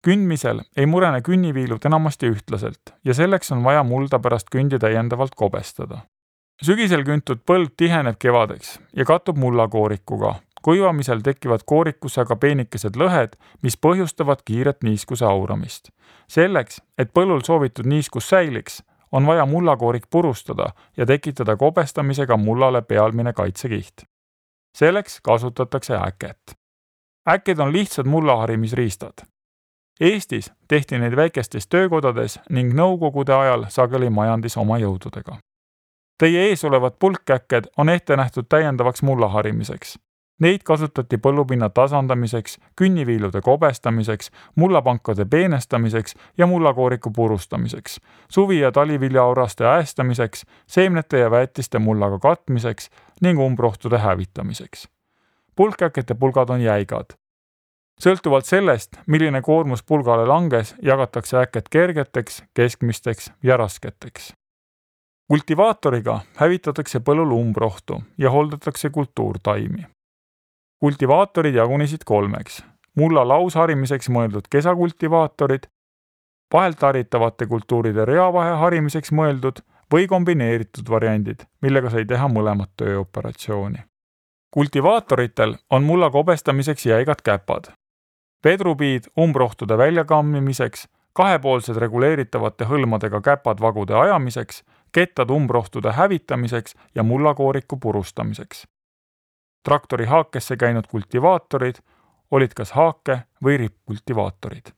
Kündmisel ei murene künniviilud enamasti ühtlaselt ja selleks on vaja mulda pärast kündi täiendavalt kobestada. Sügisel küntud põld tiheneb kevadeks ja kattub mullakoorikuga. Kuivamisel tekivad koorikusse aga peenikesed lõhed, mis põhjustavad kiiret niiskuse auramist. Selleks, et põllul soovitud niiskus säiliks, on vaja mullakoorik purustada ja tekitada kobestamisega mullale pealmine kaitsekiht. Selleks kasutatakse äket. Äked on lihtsad mullaharimisriistad. Eestis tehti neid väikestes töökodades ning nõukogude ajal sageli majandis oma jõududega. Teie ees olevad pulkäkked on ette nähtud täiendavaks mullaharimiseks. Neid kasutati põllupinna tasandamiseks, künniviilude kobestamiseks, mullapankade peenestamiseks ja mullakooriku purustamiseks, suvi- ja taliviljaauraste äestamiseks, seemnete ja väetiste mullaga katmiseks ning umbrohtude hävitamiseks. Pulkäkete pulgad on jäigad. Sõltuvalt sellest, milline koormus pulgale langes, jagatakse äked kergeteks, keskmisteks ja rasketeks. Kultivaatoriga hävitatakse põllul umbrohtu ja holdatakse kultuurtaimi. Kultivaatorid jagunesid 3. Mulla lausharimiseks mõeldud kesakultivaatorid, vahelt haritavate kultuuride reavahe harimiseks mõeldud või kombineeritud variandid, millega sai teha mõlemat tööoperatsiooni. Kultivaatoritel on mulla kobestamiseks jäigad käpad, vedrupiid umbrohtude väljakammimiseks, kahepoolsed reguleeritavate hõlmadega käpad vagude ajamiseks, kettad umbrohtude hävitamiseks ja mullakooriku purustamiseks. Traktori haakesse käinud kultivaatorid olid kas haake- või rippkultivaatorid.